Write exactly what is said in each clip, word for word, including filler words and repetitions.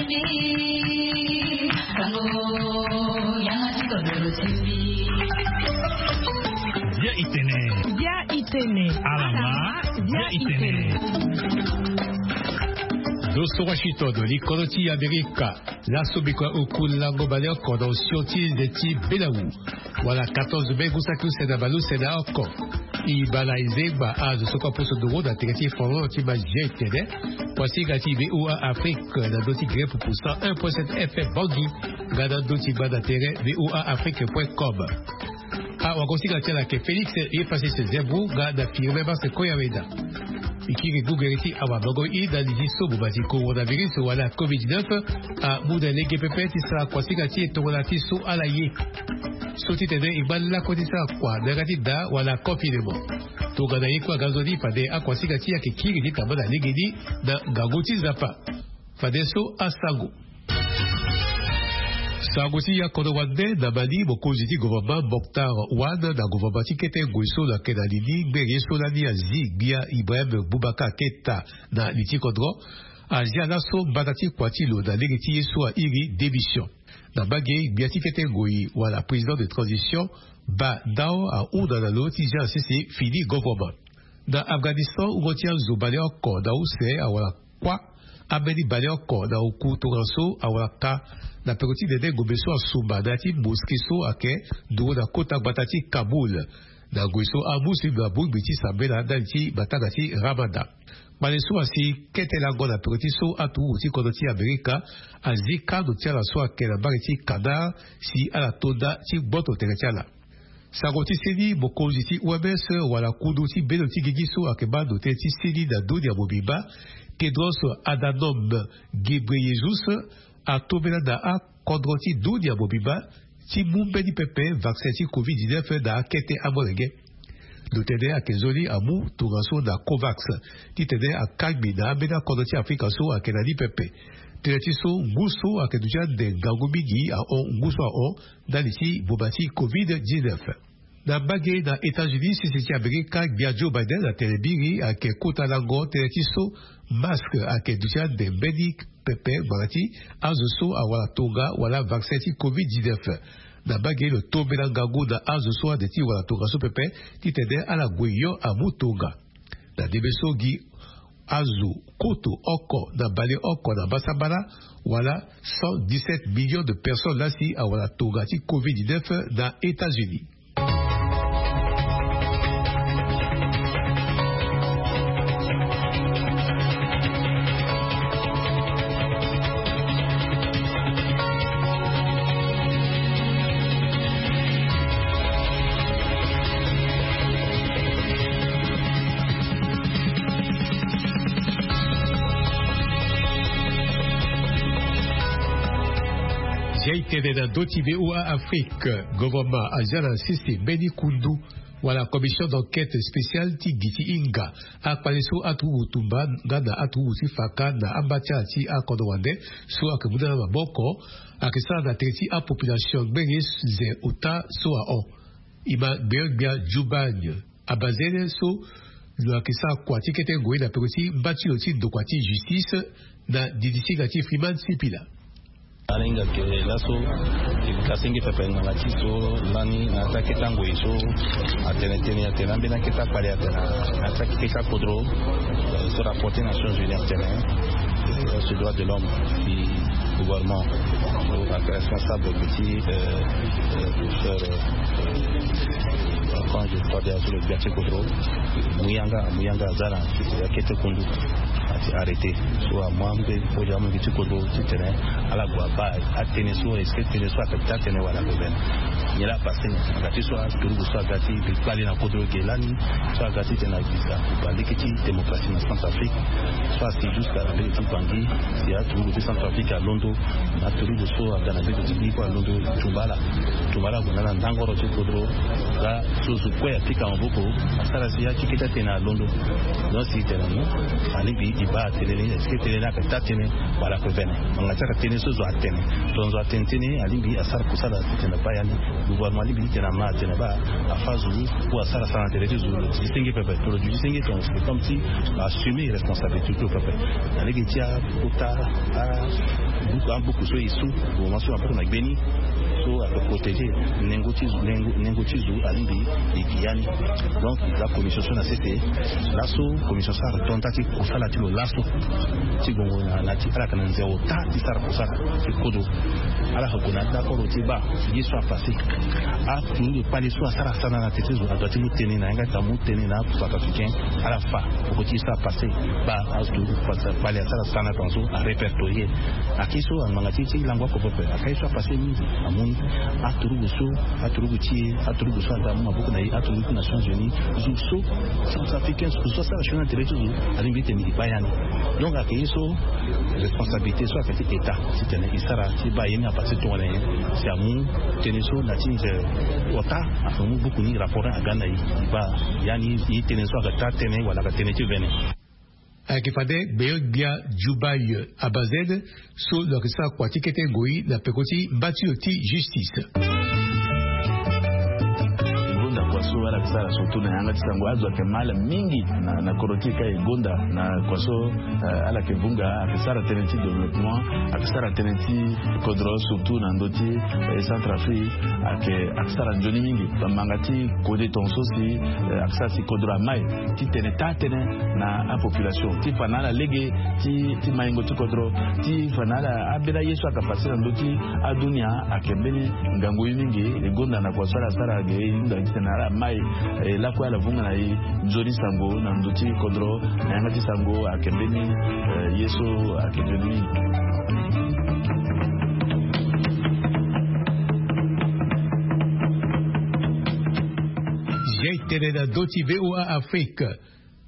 Bia itene. Bia itene. Alama. Bia itene. Doso Washington, likolo ti Amerika. Laso bikua oku lango baleoko na osio ti nze ti Belau. Wala quatorze mai ngu saki use na baleuse na oko. I bala i zengba azo so kue aposo nduru na tere ti folon ti mazia itene. Kuasinga ti VOA Afrique na ndö ti Grep pour cent un point sept F M Bangui. Nga na ndö ti ngba na tere VOA Afrique point com. Awagosinga ti ala ayeke Félix Epasis Zembro nga na Firmin Marse Koyaweda. I kiri gugere ti awamango i na li ti so bobasi coronavirus wala covid dix-neuf amu na lege pepe ti sara kuasinga ti e tongana ti so ala ye. So titene e ngba lakue ti sara kua na yanga ti da wala confinement. Tongana ye kue aga nzoni fade akuasinga ti e ayeke kiri ti tamba na legeni na ngangu ti Nzapa. Fade so asango. Sango ti ya kodro wande na Mali, mokonzi ti gouvernement Moctar Ouane na gouvernement ti kete ngoi so lo yeke na li ni, ngbere ye so lani azi gbia Ibrahim Boubacar Keita na li ti kodro, azia laso mbata ti kua ti lo na lege ti ye so airi démission. Na mbage, gbia ti kete ngoi wala président de transition, Ba Ndao, ahunda na lo ti zia sese fini gouvernement. Na Afghanistan, wungo ti azo baleoko na use awara kuâ. Ambeni baleoko na oku tongaso awara ka na peko ti nene ngombe so asumba na ya ti mosquée so ayeke nduru na kota gbata ti Kaboul. Na ngoi so amuslim abongbi ti sambela ndali ti matanga ti Ramadan. Kpale so asi kete lango na peko ti so aturuku ti kodro ti Amerika azi kando ti ala so ayeke na mbage ti Qatar si ala to nda ti gboto tere ti ala. Sango ti seni, mokonzi ti O M S wala kundu ti bendo ti gigi so ayeke baa ndo tënë ti seni na dunia mobimba, Tedros Adhanom Ghebreyesus, atombela na akodro ti dunia mobimba ti mu mbeni pepe vaccin ti covid dix-neuf na akete amolenge. Ndo tënë ayeke nzoni amu tongaso na Covax titene akangbi na ambeni akodro ti Afrika so ayeke na ni pepe. Tënë ti so ngu so ayeke duti ande ngangu mingi ahon ngu so ahon ndali ti boma ti covid dix-neuf. Na mbage na États-Unis, sese ti Amerika, gbia Joe Biden atene mingi ayeke kota lango tënë ti so masque ayeke duti ande mbeni pepe ngbanga ti azo so awara tonga wala vaccin ti covid dix-neuf. Na mbage lo tombela ngangu na azo so ande ti wara tongaso pepe titene ala gue hio amu tonga. Na ndembe so gi azo koto oko na baleoko na mbasambala wala cent dix-sept millions de personnes laa si awara tonga ti covid dix-neuf na États-Unis. Zia e tene na ndö ti V O A Afrique, gouvernement azia na sese mbeni kundu wala commission d'enquête spéciale ti gi ti hinga akpale so aturuku tumba nga na aturuku ti faka na amba ti ala ti akodro wande so ayeke mu na ala maboko, ayeke sara na tere ti apopulation ngbenge ze ota so ahon. E ma gbeon-gbia Djoubagne Abazene so lo yeke sara kua ti kete ngoi na peko ti mba ti lo ti ndokua ti justice na didi ti hinga ti Freeman Sipila. Ala hinga ke laso e kasenge pepe ngbanga ti so lani na ya ti akete ngoi so atene tënë, atene ambeni akete akpale atene na ya ti akete kodro, eh, so rapporté Nations Unies atene, eh, sur droit de l'homme, si gouvernement so ayeke responsable ti, eh, eh, de faire, eh, quand je crois déjà sur le gbia ti kodro, mu yanga, mu yanga aza na akete kundu, ati arrêté. So amu ambeni, so amu ambeni ti kodro titene ala gue abaa atënë so, est-ce que tënë so ayeke daa tënë wala ayeke vene. Nyen laa apasé na yanga ti so aturuku so aga ti kpale na kodro ge lani, so aga titene agbisa balekipe ti démocratie na Centrafrique, so asi jusqu'à na mbage ti Bangui, si aturuku ti Centrafrique alondo, na aturuku so aga na mbage ti Guinée kue alondo, tumba ala, tumba ala gue na ala na ndangoro ti kodro. Laa so zo kue apika maboko, asara si akeke ti atene alondo. Donc si tene mo, alingbi e baa atënë ni, est-ce que tënë ni ayeke daa tënë wala ayeke vene. Ngbanga ti ayeke tënë so zo atene. Tongana zo atene tënë, alingbi asara kusala titene abaa ya ni. Gouvernement alingbi titene ama atene baa afa zo ou asara sara na tere ti zo, lo duti senge pepe. Tongana lo duti senge, tongana c'est comme si lo assumer responsabilité ti lo pepe. Na lege ti akota, a, Abuku so e su, mama so abuku na gbeni so ape protégé nengo ti zo, nengo ti zo alingbi e gi ya ni. Donc eza commission so na sese laso, commission so atonda ti kosala ti lo laso ti gongo na ti ala yeke na nze ota ti sara kosala ti kodo. Ala yeke gue na dakoro ti baa ye so apassé. Aturugu kpale so asara sana na tete zo adua ti mu tënë na yanga ti amu tënë na acentrafricain. Ala fa poko ti ye so apassé. Baa aturugu kpale asara sana tongaso arépertorié. Ake so angbanga ti ye ti lango oko pepe aka ye so apassé mingi. Amu aturugu so, aturugu ti e, aturugu so aga amu maboko na e, aturugu ti Nations Unies, zo so centrafricain so asara sioni na tere ti zo alingbi ti tene e baa ya ni. Donc ake ye so responsabilité so ake ti état ti tene e sara ti baa ye ni apassé tongana nyen. Si amu tënë so na ti nze ota ake mu buku ni rapport ni aga na e e baa ya ni. Ye tënë so ake taa tënë wala ake tënë ti vene. Ayeke fade gbenyo-gbia Djubaye Abazene so lo yeke sara kua ti kete ngoi na peko ti mba ti lo ti justice. Gonda kua so ala yeke sara surtout na yanga ti sango azo ayeke mal mingi na, na kodro ti e ka e gonda na kua so, eh, ala yeke vunga ayeke sara tënë ti développement, ayeke sara tënë ti kodro surtout na ndö ti, eh, Centrafrique. Ayeke, ayeke sara nzoni mingi bambanga ti kode tongaso si, eh, ayeke sara si kodro amai ti tene taa tënë na apopulation ti fa na ala lege ti, ti maingo ti kodro, ti fa na ala abela ye so ayeke passe na ndö ti adunia. Ayeke mbeni ngangu ye mingi e gonda na kua so ala sara ge e hunda titene ala mai, eh, lakue ala vunga na e nzoni sango na ndö ti kodro na yanga ti sango ayeke mbeni, eh, ye so ayeke nzoni mingi. Zia e tene na ndö ti V O A Afrique.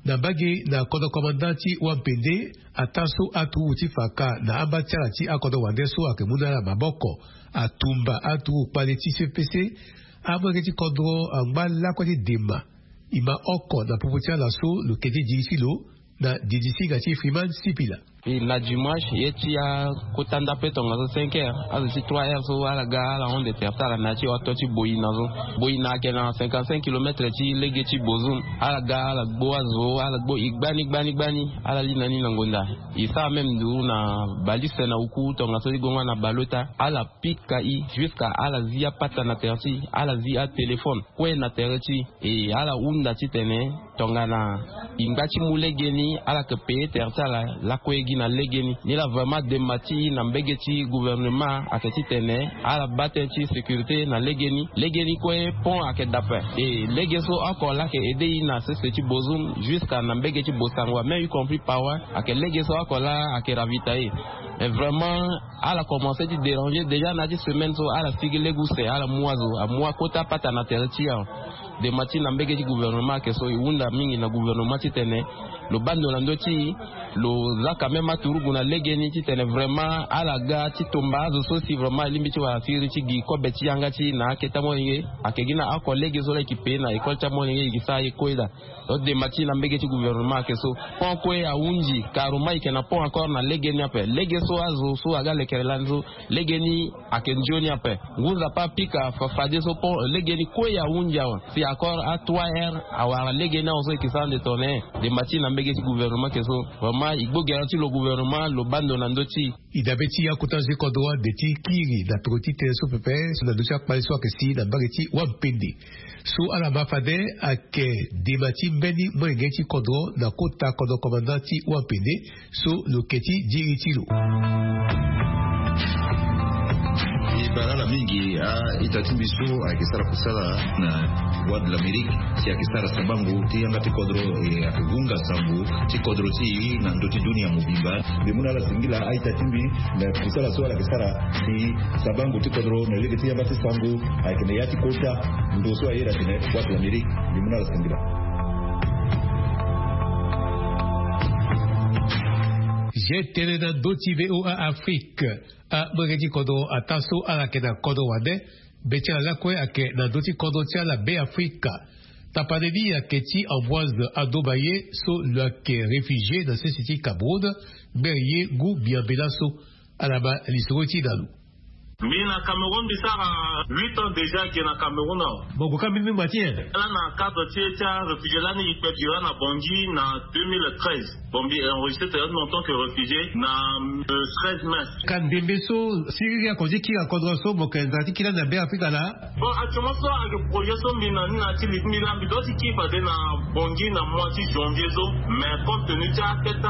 Na mbage na kodro commandant ti Wampende, ataa so aturugu ti fa ka na amba ti ala ti akodro wande so ayeke mu na ala maboko atumba aturugu kpale ti C P C. Amolenge ti kodro angba lakue ti dema. E ma oko na popo ti ala so lo ke ti diri ti lo na didi singa ti Freeman Sipila. E na dimanche ye ti akota ndape tongaso cinq heures, azo ti trois heures so ala ga ala hon de terre ti ala na ya ti oto ti boi na so. Boi na ayeke na cinquante-cinq kilomètres ti lege ti Bozoum. Ala ga ala gbo azo, ala gbo e gbani gbani gbani. Ala li na ni na ngonda. E sara même nduru na balise na oku tongaso ti gongo na baleota. Ala pika e jusqu'à ala zi apata na tere ti e, ala zi atéléphone kue na tere ti e. E ala hunda titene tongana e ngba ti mu legeni ala yeke payer tere ti ala lakue gi na legeni. Ni laa vraiment dema ti e na mbege ti gouvernement ayeke titene ala baa tënë ti sécurité na legeni. Legeni kue pont ayeke daa ape. E lege so oko laa ayeke aider e na sese ti Bozoum jusqu'à na mbege ti Bossangoa, même y compris Paoua, ayeke lege so oko laa ayeke ravitailler. Mais vraiment ala commencé ti déranger déjà na ya ti semaine so, ala sigi lege use, ala mu azo, amu akota pata na tere ti e awe. Dema ti na mbege ti gouvernement ayeke so, e hunda mingi na gouvernement titene lo baa ndo na ndö ti e, lo za quand même aturugu na legeni titene vraiment ala ga ti tomba azo so si vraiment e lingbi ti wara siriri ti gi kobe ti yanga ti e na akete amolenge. Ayeke gi na oko lege so laa e ke payer na école ti amolenge, e ke sara ye kue daa. Donc dema ti e na mbege ti gouvernement ayeke so. Pont kue ahunzi, Karuma e yeke na pont encore na legeni ape. Lege so azo so aga lekere lani so, legeni ayeke nzoni ape. Ngu Nzapa apika fa fadeso pont, legeni kue ahunzi awe. Si encore a trois heures awara legeni awe so e ke sara nde tongana nyen. Dema ti e na mbege ti gouvernement ayeke so. Vraiment e gbo gere ti lo gouvernement lo baa ndo na ndö ti e. E dabe ti akota zo ti kodro ande ti kiri na peko ti tënë so pepe so na ndö ti akpale so ayeke si na mbage ti Wampende. So ala ma fade ayeke dema ti mbeni molenge ti kodro na kota kodro commandant ti Wampende so lo ke ti diri ti lo. E bara ala mingi a-ita ti mbi so ayeke sara kusala na Voix de l'Amérique, si ayeke sara sabango ti yanga ti kodro, e ayeke hunga sango ti kodro ti e na ndö ti dunia mobimba. Mbi mu na ala singila a-ita ti mbi na kusala so ala yeke sara si sabango ti kodro na lege ti yanga ti sango ayeke na ya ti kota ndo so aye na tene Voix de l'Amérique. Mbi mu na ala singila. Zia e tene na ndö ti V O A Afrique. Amolenge ti kodro ataa so ala yeke na kodro wande, be ti ala lakue ayeke na ndö ti kodro ti ala Beafrika. Tapande ni ayeke ti Ambroise Adobaye so lo yeke réfugié na sese ti Cameroun, ngbere ye ngu miambe laso. Ala ma lisoro ti e na lo. Mbi na Cameroun mbi sara huit ans déjà ake na Cameroun awa. Bon, goka mbi mingba ti nyen? Ala na cadre ti e ti aréfugié lani e kpe bira na Bangui na deux mille treize. Bon, mbi enregistré tene en tant que réfugié na le treize mai. Ka ndembe so siriri ako ti kiri na kodro so mo yeke nzara ti kiri lani na Be Afrika laa? Bon, actuellement so ake projet so mbi na ni na ti li ti mbi laa mbi doit ti kiri fade na Bangui na mois ti janvier so. Mais compte tenu ti akete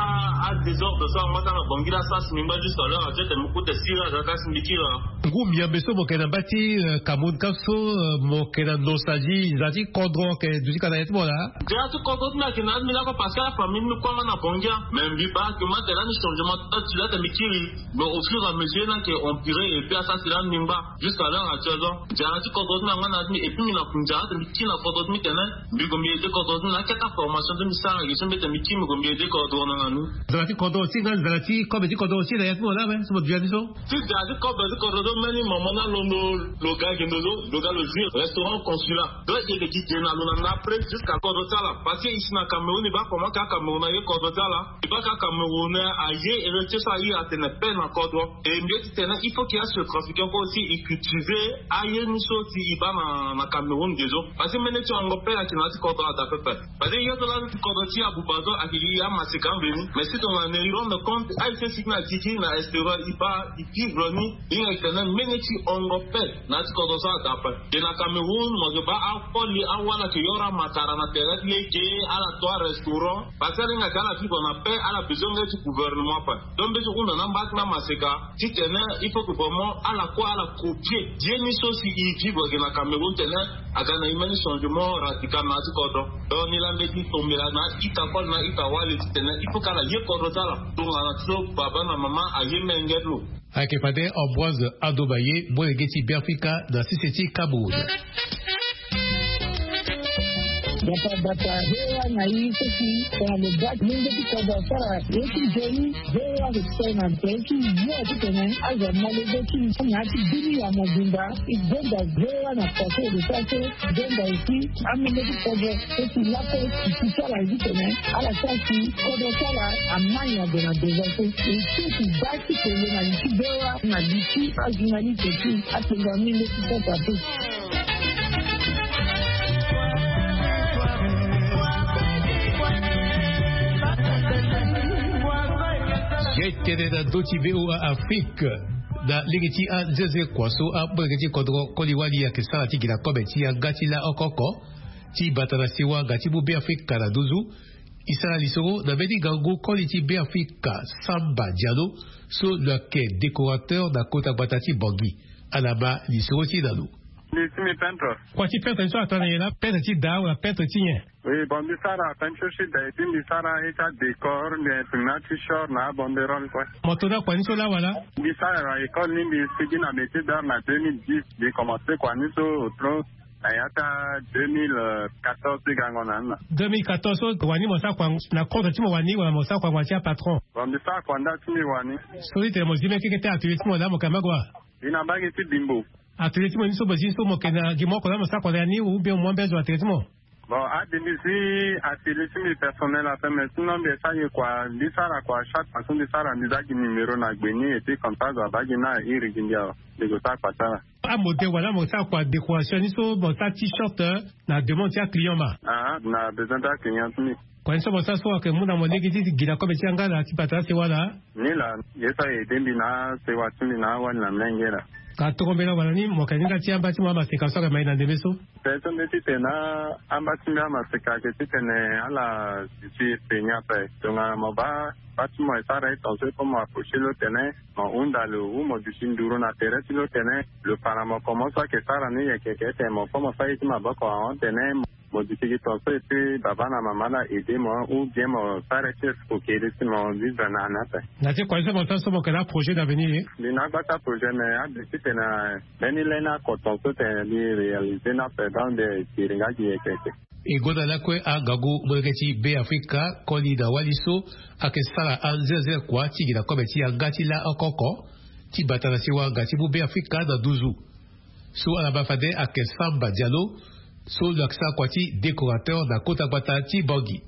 adésordre so angba ti ala na Bangui laa, sara si mbi ngba jusqu'à l'heure actuelle tene mbi kute siriri aga ka si mbi kiri laa. Ngu miambe so mo yeke na mba ti, eh, Cameroun ka so, eh, mo yeke na nostalgie, nzara ti kodro ayeke duti ka na ya ti mo laa? Nzara ti kodro ti mbi ayeke na ya ti mbi lakue parce que afamille ti mbi kue angba na Bangui. Mais mbi baa ayeke ma tene lani changement ti la tene mbi kiri. Mais au fur et à mesure ni ayeke empiré et puis asara si lani mbi ngba jusqu'à l'heure actuelle so. Nzara ti kodro ti mbi angba na ya ti mbi et puis mbi na kunzara tene mbi kiri na kodro ti mbi tene mbi gue mbi aidé kodro ti mbi na akete aformation ti mbi sara gi so mbi tene mbi kiri mbi gue mbi aidé kodro na ni. Nzara ti kodro ti nga nzara ti kobe ti kodro ti na ya ti mo laa awe so mo duti ya ni so? Ti da ti kobe ti kodro so mbeni mama ni alondo lo ga gi ndo so lo ga lo jouir restaurant consulat. Donc e yeke gi ge na lo na ndapre jusqu'à kodro ti ala. Parce que ici na Cameroun e baa comment ka Cameroun aye kodro ti ala. E baa ka Cameroun aye héritier so aye atene paix na kodro. E mbi ye ti tene il faut que asetrafiquant kue aussi e cultiver aye ni so si e baa na, na Cameroun ge so. Parce que mbeni ti hongo paix ayeke na ya ti kodro ada pepe. Parce que ye so lani ti kodro ti abuba so ayeke gi amaseka ambeni. Mais si tongana e rendre compte aye so e sigi na gigi na extérieur e baa e vivre ni. E hinga e tene mbeni ti hongo paix na ya ti kodro so ada ape. Ge na Cameroun mo yeke baa akoli awala ayeke yoro amatara na tere ti lege ala to arestaurant. Parce que ala hinga ayeke ala vivre na paix ala besoin nga ti gouvernement ape. Donc mbeti hunda na amba ti mbi amaseka titene il faut que vraiment ala kue ala copier ye ni so si e vivre ge na Cameroun tene aga na e mbeni changement radical na ya ti kodro. Donc ni laa mbeti tombela na ita koli na ita wali titene il faut que ala ye kodro ti ala tongana ti so baba na mama aye menge ti lo. Ayeke fade Ambroise Adobaye molenge ti Beafrika na sese ti Cameroun. Bata bata hewa na i so si tongana lo baa ti lenge ti kodro asara ye ti nzoni. Hewa lo sara na tere ti yo titene azo amolenge ti na ya ti bini ya mobimba. E gonda hewa na pase lo sara so. Gonda aussi amolenge ti kodro so si lakue ti sara titene ala sara si kodro ti ala amai na gue na devant so. E so si baa ti pele na li ti hewa na li ti ajournaliste ti apenga menge ti pota pe. Ye tene na ndö ti V O A Afrique na lege ti anzenze kua so amolenge ti kodro koli wali ayeke sara ti gi na kobe ti yanga ti laoko oko ti bata na sewa nga ti mu Beafrika na nduzu. E sara lisoro na mbeni ngangu koli ti Beafrika Samba Diallo so lo yeke décorateur na kota gbata ti Bangui. Ala ma lisoro ti e na lo. Mbi ti mbi peintre. Kua ti peintre ni so atene na nyen laa? Peintre ti da wala peintre ti nyen? Oui, bon mbi sara peinture ti da et puis mbi sara ye ti adécor mbi imprime na t-shirt na abanderole kue. Mo to na kua ni so laa wala? Mbi sara école ni mbi sigi na métier d'art na deux mille dix. Mbi commencé kua ni so otro na ya ti deux mille quatorze ti gango na ni na. Deux mille quatorze so wani mo sara kua na compte ti mo wani wala mo sara kua ngbanga ti apatron? Bon mbi sara kua nda ti mbi wani. So ti tene mo zi mbeni keke ti atelier ti mo laa mo yeke na mbage wa? Mbi na mbage ti Bimbo. Atelier ti mo ni so mo zi ni so mo yeke na gi mo oko laa mo sara kua na ya ni ou bien mo mbi azo atelier ti mo? Bon ade mbi zi atelier ti mbi personnel ape mais sinon mbi sara ye kua mbi sara kua chaque fois so mbi sara mbi za gi numéro na gbe ni et puis comme ça azo abaa gi ni na iri gi mbi awe. Mbi gue sara kua ti ala. Amodèle wala mo sara kua décoration ni so mo sara t-shirt na demande ti aclient ma? Aa na besoin ti aclient ti mbi. Kua ni so mo sara so ayeke mu na mo lege ti gi na kobe ti yanga na ti bata na sewa laa? Ni laa ye so aye aidé mbi na asewa ti mbi na awali na mlenge laa. Ka tongombe laa wala ni mo yeke ni nda ti amba ti mo amaseka so ayeke ma e na ndembe so? Tene so mbi ti tene na amba ti mbi amaseka ayeke titene ala duti e pe ni ape tongana mo baa baa ti mo e sara e tongaso e kue mo approché lo tene mo hunda lo ou mo duti nduru na tere ti lo tene lo para mo comment so ayeke sara ni yeke yeke tene mo kue mo sara ye ti maboko ahon tene mo duti gi tongaso et puis baba na mama ala aidé mo ou bien mo sara ye ti escroquerie si mo vivre na ni ape. Na ti kua ye so mo sara so mo yeke na aprojet d'avenir? Mbi na agbata projet mais ade titene mbeni lani ako tongaso tene mbi réalisé ni ape donc mbi tiri nga gi yeke yeke. E gonda lakue angangu molenge ti Beafrika koli na wali so ayeke sara anzenze kua ti gi na kobe ti yanga ti laoko oko ti bata na sewa nga ti mu Beafrika na nduzu. So ala ma fade ayeke Samba Diallo so lo yeke sara kua ti décorateur na kota gbata ti Bangui.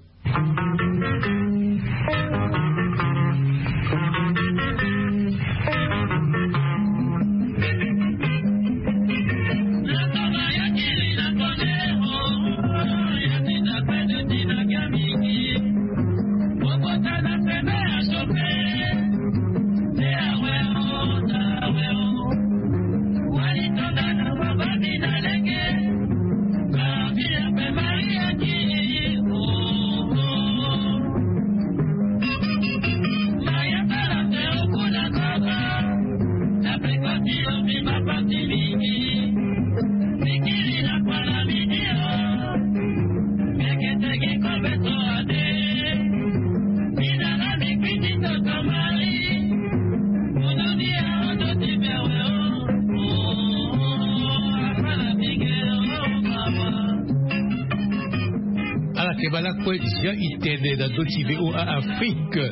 Ala ke bala kue zia itene na ndö ti VOA Afrique.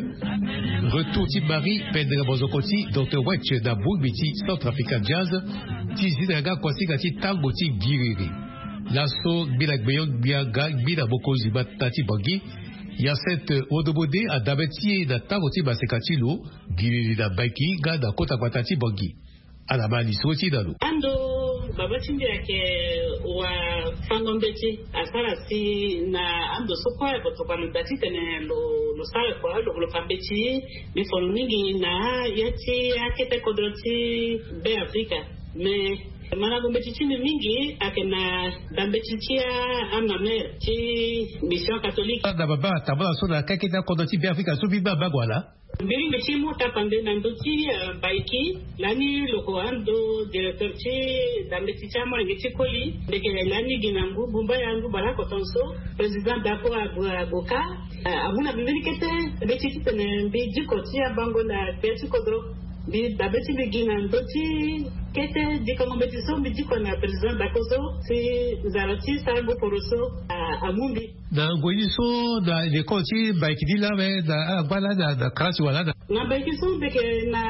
Retour ti Marie pendere mozoko ti Docteur Wetch na bongbi ti Centrafrican Jazz, ti zi na yanga kuasinga ti tango ti giriri. Laso ngbila gbeyo ngbia nga ngbila mokonzi mata ti Bangui, Hyacinthe Odobode, adabe ti e na tango ti maseka ti lo giriri na Mbaiki nga na kota gbata ti Bangui. Ala ma lisoro ti e na lo. Ando baba ti mbi ayeke wafango mbeti, asara si na ando so kue oko tokua lo daa titene lo lo sara kua lo lo fa mbeti. Mbi fo lo mingi na ya ti akete kodro ti Be Afrika. Mais malango mbeti ti mbi mingi ayeke na da mbeti ti amamere ti mission catholique. Na baba atambula so na keke ti akodro ti Be Afrika so mbi baa mbango ala. Mbi lingbi ti mu tapande na ndö ti Baiki lani lo ko ando directeur ti da mbeti ti amolenge ti koli. Ndeke lani gi na ngu bumba ya ngu baleoko tongaso, président Dako agoka amu na mbi mbeni kete mbeti titene mbi diko ti abango na gbia ti kodro. Mbi dabe ti mbi gi na ndö ti kete dikongo mbeti so mbi diko na président Dako so si nzara ti sarango poro so amu mbi. Na ngoi ni so na lekole ti Baiki ni lame na agba lani na karasi wala na. Na Baiki so mbi yeke na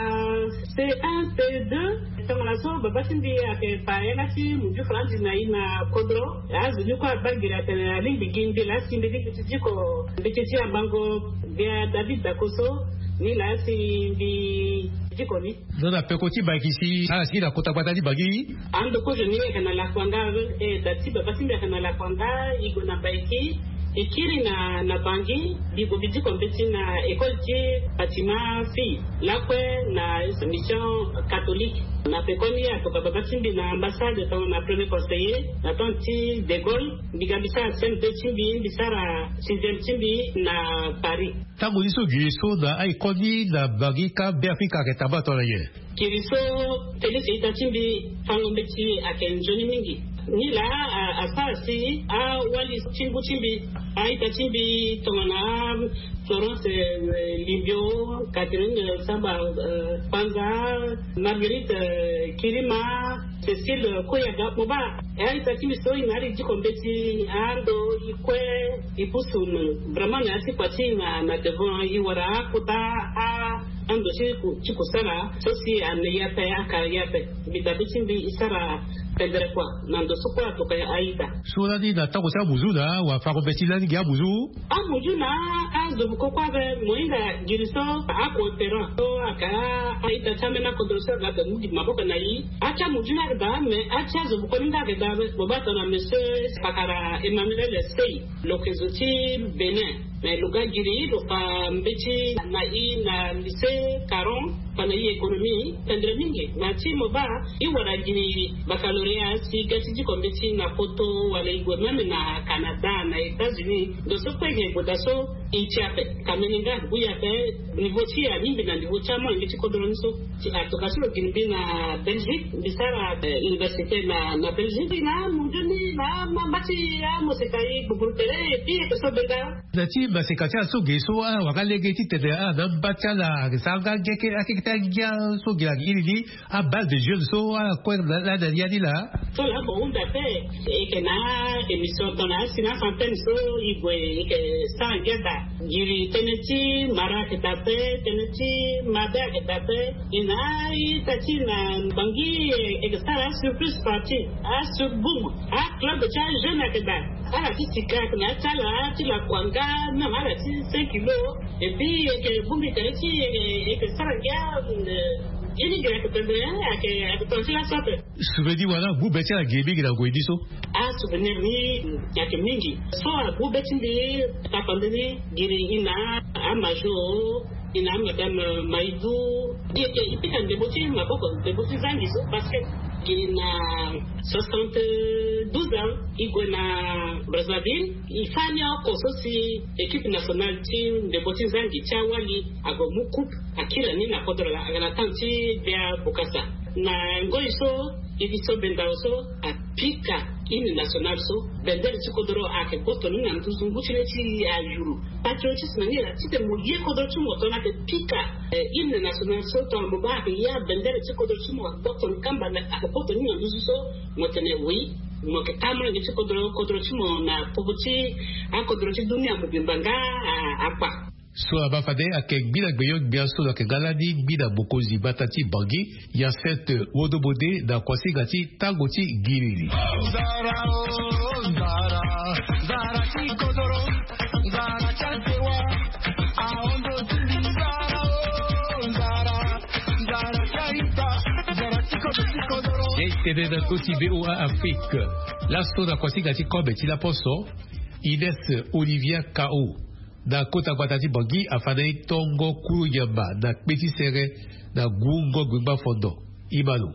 C un C deux. Tongana so baba ti mbi ayeke fa yanga ti muju faranzi na e na kodro. Azo ni kue abaa giri atene alingbi gi mbi laa si mbi lingbi ti diko mbeti ti abango gbia David Dako so. Ni laa si mbi diko ni. Ndo na peko ti Baiki si ala si na kota gbata ti Bangui. Ando kozo ni yeke na lakuanga. E da ti baba ti mbi ayeke na lakuanga. E gue na Baiki, e kiri na na Bangui. Mbi gue mbi diko mbeti na école ti Fatima Fille lakue na mission catholique. Na pekoni atoka baba ti mbi na ambassade tongana premier conseiller na temps ti De Gaulle. Mbi ga mbi sara C M deux ti mbi, mbi sara sixième ti mbi na Paris. Tango ni so giri so na aye koni na Bangui ka Be Afrika ayeke tambula tongana nyen? Giri so Félix ita ti mbi fango mbeti ayeke nzoni mingi. Ni laa asara si awali ti ngu ti mbi, aita ti mbi tongana Florence Limbio, Catherine Samba Panza, Marguerite Kirima, Cécile Koyaga, mo baa. E aita ti mbi so e na ari diko mbeti ando e kue e pusu vraiment na ya ti kua ti e na devant e wara akota ando ti kusala so si ane ya pe aka ya pe. Mbi dabe ti mbi e sara pendere kua na ndo so kue atoka aita. So lani na tango ti amuzu na wafango mbeti lani gi amuzu. Amuzu na azo boko kue ape mo hinga giri so acoopérant so aka aita ti ambeni akodro so aga ape mu gi maboko na e. Atia muju ni ayeke daa mais atia zo boko ni nga ayeke daa. Mo baa tongana monsieur Pakara Emmanuel Sey, lo yeke zo ti Bénin. Mais lo ga giri lo fa mbeti na e na lycée Caron, fa na e économie tendre mingi. Na ti mo baa e wara giri baccalauréat si e ga ti diko mbeti na Poto wala e gue même na Canada na États-Unis. Ndo so kue e gue daa so e ti ape. Kamene nga agbu e ape. Niveau ti e alingbi na niveau ti amolenge ti kodro ni so. Ti atoka so lo gi mbi na Belgique, mbi sara université na na Belgique na mundu ni na mamba ti amoseka e gbogbo tere. Et puis e ke so benda. Na ti maseka ti ala so ge so ala wanga lege titene ala na mba ti ala ake sara nga ngia ke akeke ti angia so ge la gi iri ni. Abase de jeune so ala kue la na ya ni la. So la bo hunda pe. E ke na émission tongana asi na centaine so e gue e ke sara ngia daa. Giri tënë ti mara ayeke daa pe, tënë ti mabe ayeke daa pe. E na a-ita ti na Bangui e yeke sara asurprise party, asurboum, aclub ti ajeune ayeke daa. Ala ti sika ayeke na ya ti ala ti lakuanga, même ala ti cinq kilo. Et puis e yeke bongbi tënë ti e yeke sara ngia. Ye ni gere ake pembe, ake ake tonga ti laso ape. Souvenir wala gbu be ti ala giri mingi na ngoi ni so. Asouvenir ni ake mingi. So agbu be ti mbi, papa nde ni giri ina amajo, ina amadame Maidou. Ye ke ipika ndebo ti maboko, ndebo ti zangi so, parce que giri na soixante-douze ans, i gue na Brazzaville. I fâ ni oko so si équipe nationale ti ndebo ti zangi ti awali ague mu coupe, akiri ni na kodro laa, aga na temps ti Bia Bokassa. Na ngoi so, i bi so bendao so apika hymne national so, bendere ti kodro ayeke gboto ni na nduzu ngu ti le ti ayuru. Patriotisme ni laa, titene mo ye kodro ti mo tongana ayeke pika, eh, hymne national so, tongana mo baa ayeke ya bendere ti kodro ti mo, ayeke gboto ni kamba, ayeke gboto ni na nduzu so, mo tene oui, mo yeke taa molenge ti kodro, kodro ti mo na popo ti akodro ti dunia mobimba nga, ah, akpa. So abaa fade ayeke gbi na gbenyo-gbia so lo yeke nga lani gbi na mokonzi gbata ti Bangui, Hyacinthe Wodo Bode, na kuasinga ti tango ti giri ni. Ye tene na ndö ti V O A Afrique. Laso na kuasinga ti kobe ti laposo, Ines Olivia Kao, na kota gbata ti Bangui, afa na e tongo kulu nyama na kpe ti sere na gungo gbengba fondo. I ma lo.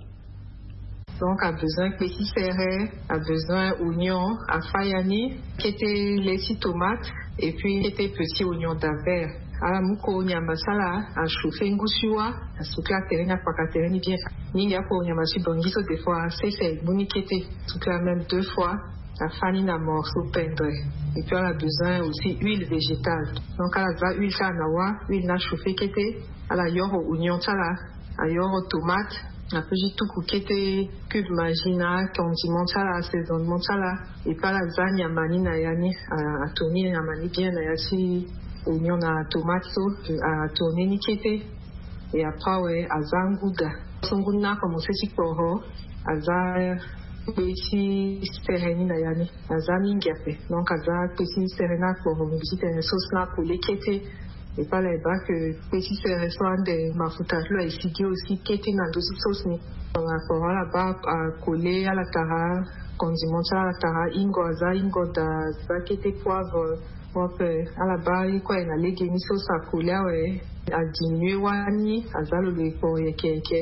Donc, abezoin kpe ti sere, abezoin oignon, afa ya ni, kete le ti tomate, et puis kete petit oignon d'Anvers. Ala mu koro nyama ti ala, achauffer ngu siwa, asukla tere ni, akpaka tere ni bien. Mingi akoro nyama ti Bangui so, des fois, asese, amu ni kete, sukla même deux fois, afa ni na morceau pendre. Et puis, ala bezoin aussi huile végétale. Donc, ala za huile ti ala na wâ, huile ni achauffer kete, ala yoro oignon ti ala, ayoro tomate, apeut ti tuku kete cube Maggi na condiment ti ala, assaisonnement ti ala, et puis ala za nyama ni na ya ni, a, atourner nyama ni bien na ya ti oignon na tomate so, atourner ni kete, et après awe, aza nguda. So ngu ni akomense ti kporo, aza kpe ti sere ni na ya ni. Aza mingi ape. Donc, aza kpe ti sere ni akporo, mbi titene sauce ni akole kete. Et puis ala e baa que kpe ti sere so ande mafuta ti lo aesigi aussi kete na ndö ti sauce ni. Donc, akporo ala baa akole, ala tara condiment ti ala, ala tara hingo, aza hingo daa, aza kete poivre, ape ala baa ye kue na lege ni, sauce akole awe, adiminuer wâ ni, aza lo lo e kporo yeke yeke.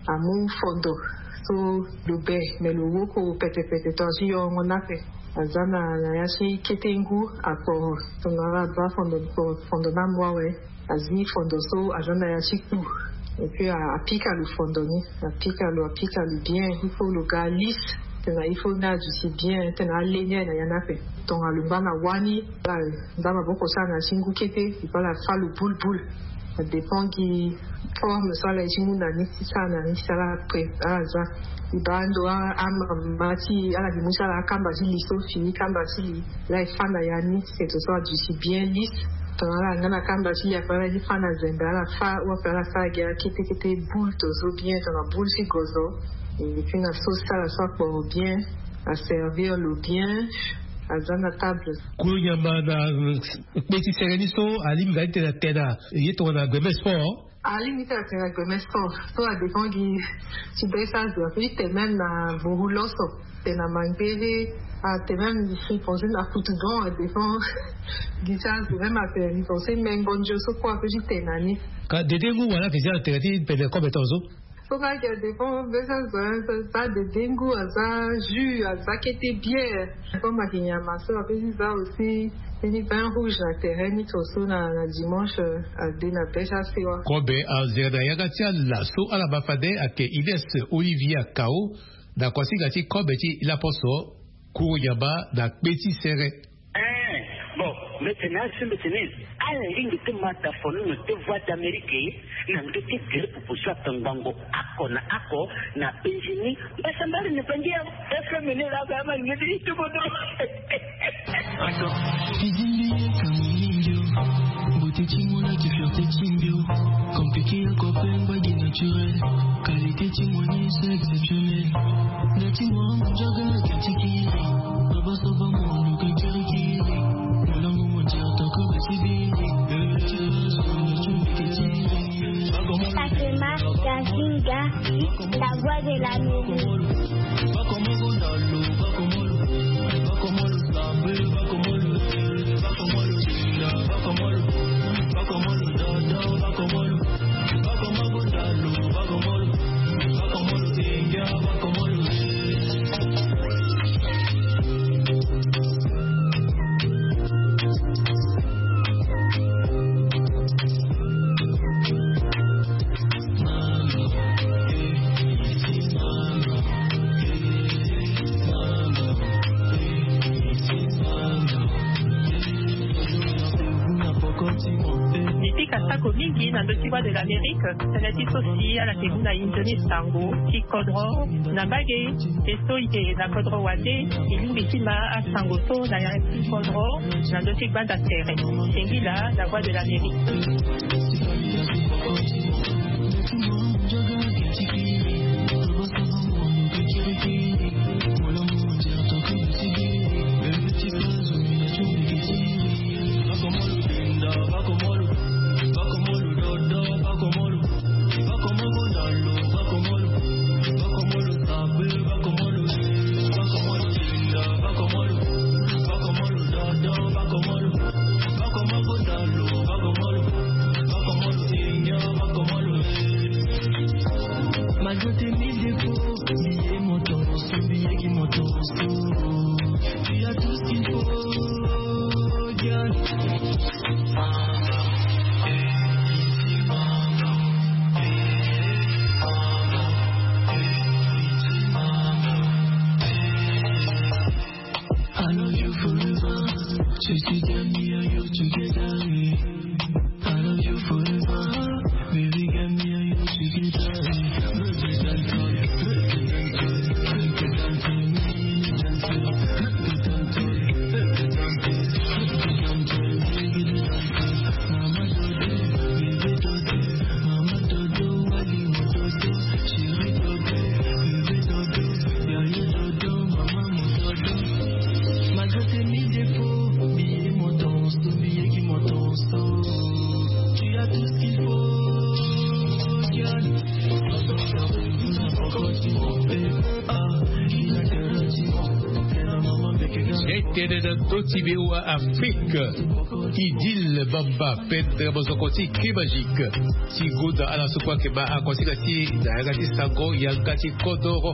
Amu fondo so lo be, me lo woko pete pete tongana ti yorongo ni ape. Aza na, na ya ti kete ngu akporo. Tongana ala baa fondo, fondo ni amu awe, azi fondo so aza na ya ti kpu. Et puis a, apika lo fondo ni, apika lo, apika lo bien. Il faut lo ga lisse, tena il faut ni aduti bien, tena ale ni aye na ya ni ape. Tongana lo ngba na wâ ni, ala za maboko ti ala na ya ti ngu kete, et puis ala fâ lo boule boule. Ça dépend gi forme so ala ye ti mu na ni, ti sara na ni, ti sara après, ala za. E baa ando a, amama ti ala, gi mu ti ala akamba ti li so, fini kamba ti li, la e fâ na ya ni, c'est tout ça, aduti bien lisse. Tongana ala nga na kamba ti li, après ala ye ti fâ na zembe, ala fâ, ou après ala fâ gi akete kete boule to so bien, tongana boule ti gozo. Et puis na sauce ti ala so akporo bien, aservir lo bien, aza na table. Kulu nyama na, euh, kpe ti sere ni so, alingbi nga ti tene atene na ye tongana gbeme sport. Alingbi ti tene atene na gbeme sport. So adépend gi ti be ti azo, apeut ti tene même na vuru loso, tene na mangbere, atene même friponse na kutu don, adépend gi ti azo, même atene friponse mengo ndio so kue apeut ti tene na ni. Ka dede ngu wala fizia atene ti pede kobe tongaso. So nga ayeke dépend be ti azo, hein, aza dede ngu, aza jus, aza kete bière. Comme ayeke nyama so, apeut ti za aussi ni vin rouge na tere ni, tongaso na, na dimanche, euh, ade na be ti asewa. Kobe anzere na yanga ti ala so ala baa fade ayeke Ines Olivia Kao, na kuasinga ti kobe ti laposo, kuru nyama na kpe ti sere. Eh, bon, mbi tene asi, mbi tene, ala lingbi ti ma dafono na te Voix d'Amérique, na ndö ti gere pupu so atongbango oko na oko na penzi ni. Mbasambala ni pangi ya F M ni la, ba ma ngeti ti bodo. Attends. Fidili ye kamini mbio. Beauté ti mona ki fierté ti mbio. Compliqué ya copain, mbage naturel. Qualité ti moni, c'est exceptionnel. Na ti mwa njaga ka ti kiri. Baba so ba mo lo ka kiri kiri. Molango mo ti atako ba ti biri. Bebe ti ba so na tu ke ti biri. Fatima, Tasinga, la voix de l'Amérique. Ni pika sako mingi na ndö ti Voix de l'Amérique. Tënë ti so si ala ke mu na inzo ni sango ti kodro na mbage. Ti so i ke na kodro wande, i lingbi ti ma asango so na ya ti kodro na ndö ti gbanda tere. Singila, la voix de l'Amérique. Malgré tes mille défauts, billet mon torse, billet qui mon torse. Tu as tout ce qu'il faut, girl. I love you forever. Je suis derrière you together. I love you forever. Baby, got me and you together. Malgré tes mille défauts, billet mon torse, billet qui mon torse. Tu as tout ce qu'il faut, girl. Tënë na ndö ti V O A Afrique. Idil Bamba, pendre mozoko ti Clé Magique. Ti gonda ala so kue ayeke baa akosinga ti e na yanga ti sango, yanga ti kodoro.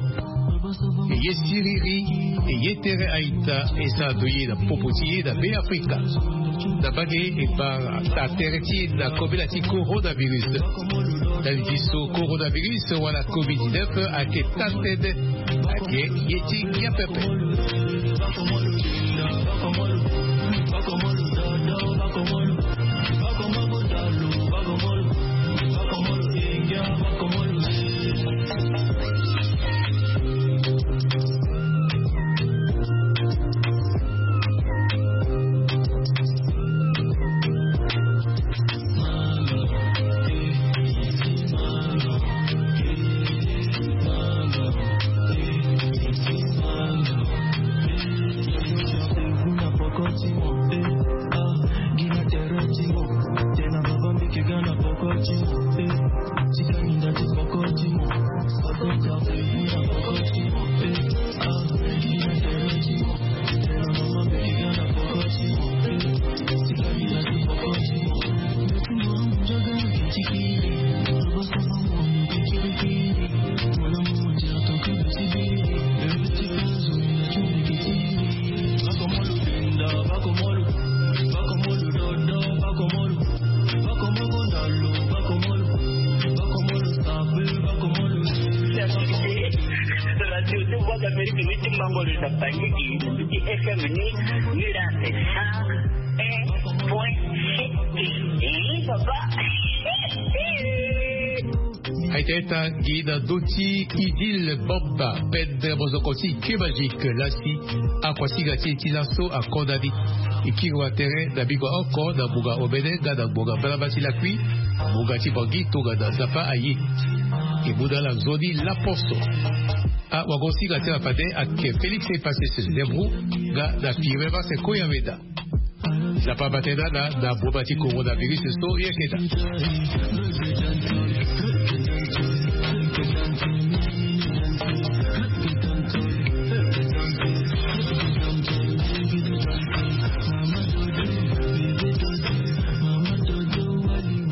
E ye siriri, e ye tere a-ita, e sara ndo ye na popo ti e na Beafrika. Na mbage e baa taa tere ti e na kobela ti coronavirus. Ndali ti so coronavirus wala covid dix-neuf ayeke taa tënë, ayeke ye ti ngia pepe. Voix d'Amérique, ni ti mbangolo na Bandiki, ni ti F M ni, ni la, c'est cent un point sept. Eh, papa. Aita ita gi na ndö ti Idil Bamba, pendre mozoko ti Clé Magique, lasi akuasinga ti e ti laso akonda ni. E kiri wa tere na bingo oko na ngbonga omene nga na ngbonga mbalamba ti lakui, ngbonga ti Bangui tongana Nzapa aye. E mu na ala nzoni laposo. Awagosinga ti ala fade ayeke Félix Epasese Zembro nga na Firmin Marcel Koyaweda. Nzapa abata ye na ala na boma ti coronavirus so ye keda.